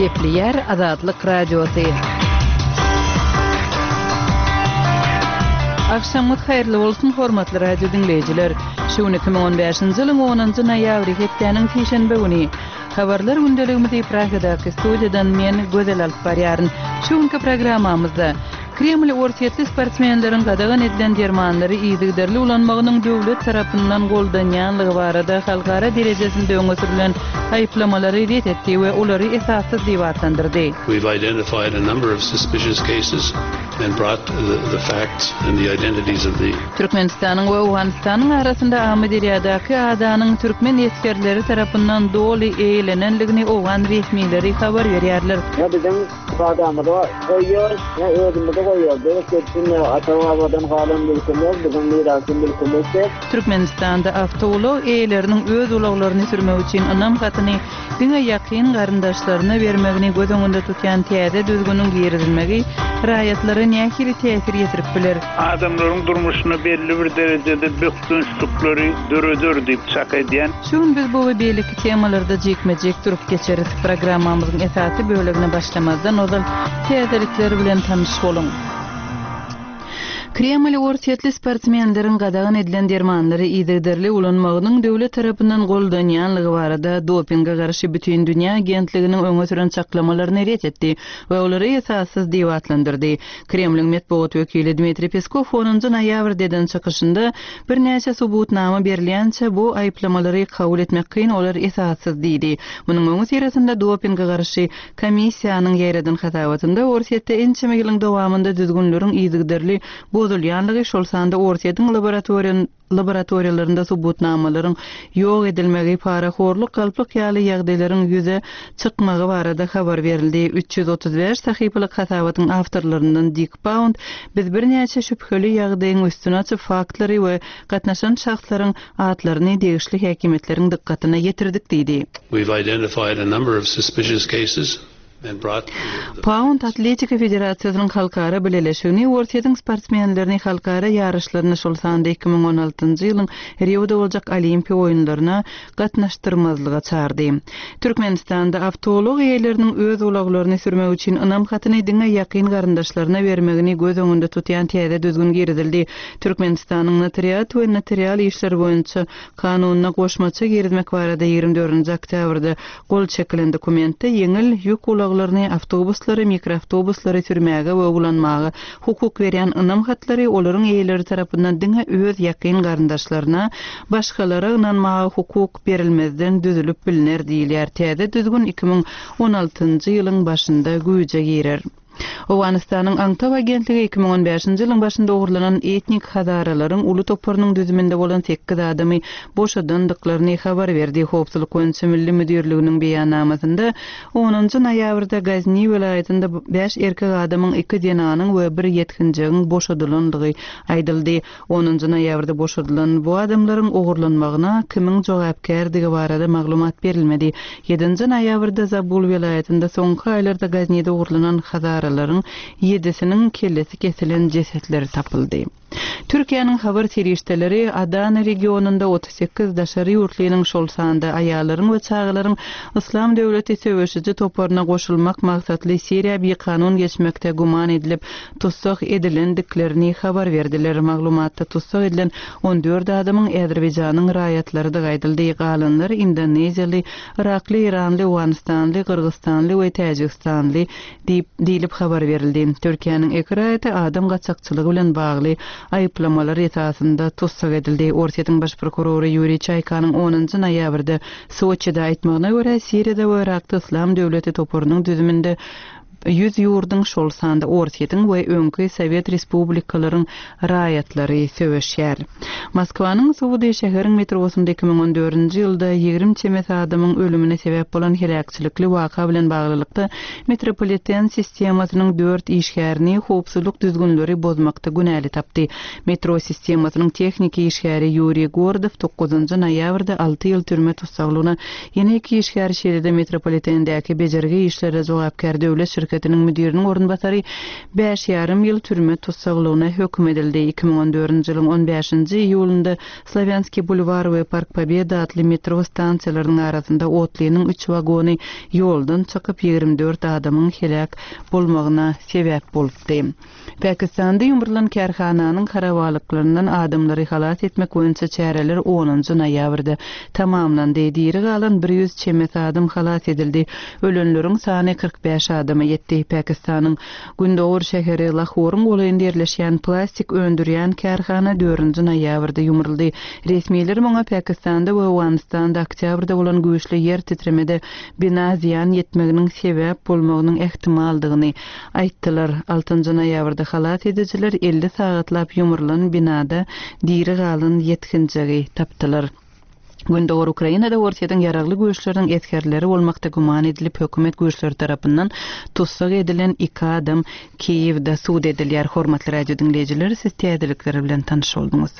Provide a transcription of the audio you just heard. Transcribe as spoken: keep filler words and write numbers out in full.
Gepleýär Azatlyk Radiosy. Agşamyňyz haýyrly bolsun, hormatly radio diňleýjiler! Şu gün iki müň on bäşinji ýylyň onunjy noýabry, hepdäniň sişenbe güni. Habarlar gündeligimizi Pragadaky studiýadan men, Gözel alyp barýaryn. Şu günki programmamyzda, Kreml orsýetli sportsmenleriň gadagan edilen dermanlary yzygiderli ulanmagynyň döwlet tarapyndan goldanýanlygy barada halkara derejesinde öňe sürlen aýyplamalary ret etdi we olary esassyz diýip atlandyrdy. We've identified a number of suspicious cases and brought the, the facts and the identities of the Türkmenistanyň we Owganystanyň arasynda Amyderýadaky adanyň türkmen esgerleri tarapyndan doly eýelenenligini owgan resmileri habar berýärler. Ne biziň adamyzy goýýar, ne özümizi goýýar. Biz geçsin ata-babadan galan mülkümüz, biziň mirasy mülkümüz. Türkmenistanda awtoulag eýeleriniň öz ulaglaryny sürmek üçin ynam hatyny diňe ýakyn garyndaşlaryna bermegini göz öňünde tutýan täze düzgüniň girizilmegi raýatlara nähili täsir ýetirip biler? Adamlaryň durmuşyna belli bir derejede bökdençlikleri döreder diýip çak edýän. Şu gün biz bu we beýleki temalarda jikme-jik durup geçeris. Programmamyzyň esasy bölegine başlamazdan ozal täzelikler bilen tanyş boluň. Kreml orsýetli sportsmenleriň gadagan edilen dermanlary yzygiderli ulanmagynyň döwlet tarapyndan goldanýanlygy barada dopinge garşy Bütindünýä agentliginiň öňe süren çaklamalaryny ret etdi we olary esassyz diýip atlandyrdy. Kremliň metbugat wekili Dmitriý Peskow onunjy noýabrda eden çykyşynda birnäçe subutnama berilýänçä bu aýyplamalary kabul etmek kyn, olar esassyz diýdi. Munuň öňüsyrasynda dopinge garşy komissiýanyň ýaýradan hasabatynda Orsýetde ençeme ýylyň dowamynda düzgünleriň yzygiderli bozulýanlygy, şol sanda Orsýetiň laboratoriýalarynda subutnamalaryň ýok edilmegi, parahorluk, galplyk ýaly ýagdaýlaryň ýüze çykmagy barada habar berildi. Üç ýüz otuz bäş sahypalyk hasabatyň awtorlaryndan Dik Pound biz birnäçe şübheli ýagdaýyň üstüni açyp faktlary we gatnaşan şahslaryň atlaryny degişli häkimiýetleriň dykgatyna ýetirdik diýdi. We've identified a number of suspicious cases and brought the Pound Atletika Federasiýasynyň halkara bileleşigini Orsýetiň sportsmenlerini halkara ýaryşlaryna, şol sanda iki müň on altynjy ýylyň Rioda boljak Olimpiýa oýunlaryna gatnaşdyrmazlyga çagyrdy. Türkmenistanda awtoulag eýeleriniň öz ulaglaryny sürmek üçin ynam hatyny diňe ýakyn garyndaşlaryna bermegini göz öňünde tutýan täze düzgün girizildi. Türkmenistanyň notariat we notarial işleri boýunça kanunyna goşmaça girizmek barada ýigrimi dördünji oktýabrda gol çekilen dokumentde ýeňil ýük ulaglaryny, awtobuslary, mikroawtobuslary sürmäge we ulanmaga hukuk berýän ynam hatlary olaryň eýeleri tarapyndan diňe öz ýakyn garyndaşlaryna, başgalara ynanmaga hukuk berilmezden düzülip bilner diýilýär. Täze düzgün iki müň on altynjy ýylyň başynda güýje girer. Owganystanyň Aňtaw agentligi iki müň on bäşinji ýylyň başynda ogurlanan etnik hazaralaryň uly toparynyň düzüminde bolan sekiz adamy boşadandyklaryny habar berdi. Howpsuzlyk boýunça Milli müdirliginiň beýannamasynda onunjy noýabrda Gazni welaýatynda bäş erkek adamyň, iki zenanyň we bir ýetginjegiň boşadylandygy aýdyldy. Onunjy noýabrda boşadylan bu adamlaryň ogurlanmagyna kimiň jogapkärdigi barada maglumat berilmedi. Ýedinji noýabrda Zabul welaýatynda soňky aýlarda Gaznide ogurlanan hazaralaryň ýedisiniň kellesi kesilen jesetleri tapyldy. Türkiýäniň habar serişdeleri Adana regionynda otuz sekiz daşary ýurtlynyň, şol sanda aýallaryň we çagalaryň Yslam döwleti söweşiji toparyna goşulmak maksatly Siriýa bikanun geçmekde güman edilip tussag edilendiklerini habar berdiler. Maglumatda tussag edilen on dört adamyň Azerbaýjanyň raýatlarydygy aýdyldy. Galanlar Indoneziýaly, Irakly, Iranly, Owganystanly, Gyrgyzstanly we Täjigistanly diýip diýlip habar berildi. Türkiýäniň iki raýaty adam gaçakçylygy bilen bagly aýyplamalar esasynda tussag edildi. Orsýetiň baş prokurory Ýuriý Çaýkanyň onunjy noýabrda Soçide aýtmagyna görä, Siriýada we Irakda Yslam döwleti toparynyň düzüminde ýüz ýurduň, şol sanda Orsýetiň we öňki Sowet respublikalaryň raýatlary söweşýär. Moskwanyň Suwudy şäheriň metrosynda iki müň on dördünji ýylda ýigrimi çemesi adamyň ölümine sebäp bolan heläkçilikli waka bilen baglylykda metropoliten sistemasynyň dört işgärini howpsuzlyk düzgünleri bozmakda günäli tapdy. Metro sistemasynyň tehniki işgäri Ýuriý Gordow dokuzynjy noýabrda alty ýyl türme tussaglygyna, ýene iki işgär şeýle-de metropolitendäki bejergi işlere jogapkär döwlet şirketiniň müdiriniň orunbasary bäş ýarym ýyl türme tussaglygyna höküm edildi. Iki müň on dördünji ýylyň on bäşinji iýulynda Slawýanskiý bulwar we Park Pobeda atly metro stansiýalarynyň arasynda otlynyň üç wagony ýoldan çykyp, ýigrimi dört adamyň heläk bolmagyna sebäp bolupdy. Pakistanda ýumrulan kärhananyň harabalyklaryndan adamlary halas etmek boýunça çäreler onunjy noýabrda tamamlandy. Diri galan bir ýüz çemesi adam halas edildi. Ölenleriň sany kyrk bäş adama ýetdi. Pakistanyň gündogar şäheri Lahoryň golaýynda ýerleşýän plastik öndürýän kärhana dördünji noýabrda ýumruldy. Resmiler muňa Pakistanda we Owganystanda oktýabrda bolan güýçli ýer titremede bina zyýan ýetmeginiň sebäp bolmagynyň ähtimaldygyny aýtdylar. Altynjy noýabrda halas edijiler elli sagatlap ýumrulan binada diri galan ýetginjegi tapdylar. Gündogar Ukrainada Orsýetiň ýaragly güýçleriniň esgerleri bolmakda güman edilip, hökümet güýçleri tarapyndan tussag edilen iki adam Kiýewde sud edilýär. Hormatly radio diňleýjiler, siz täzelikler bilen tanyş bolduňyz.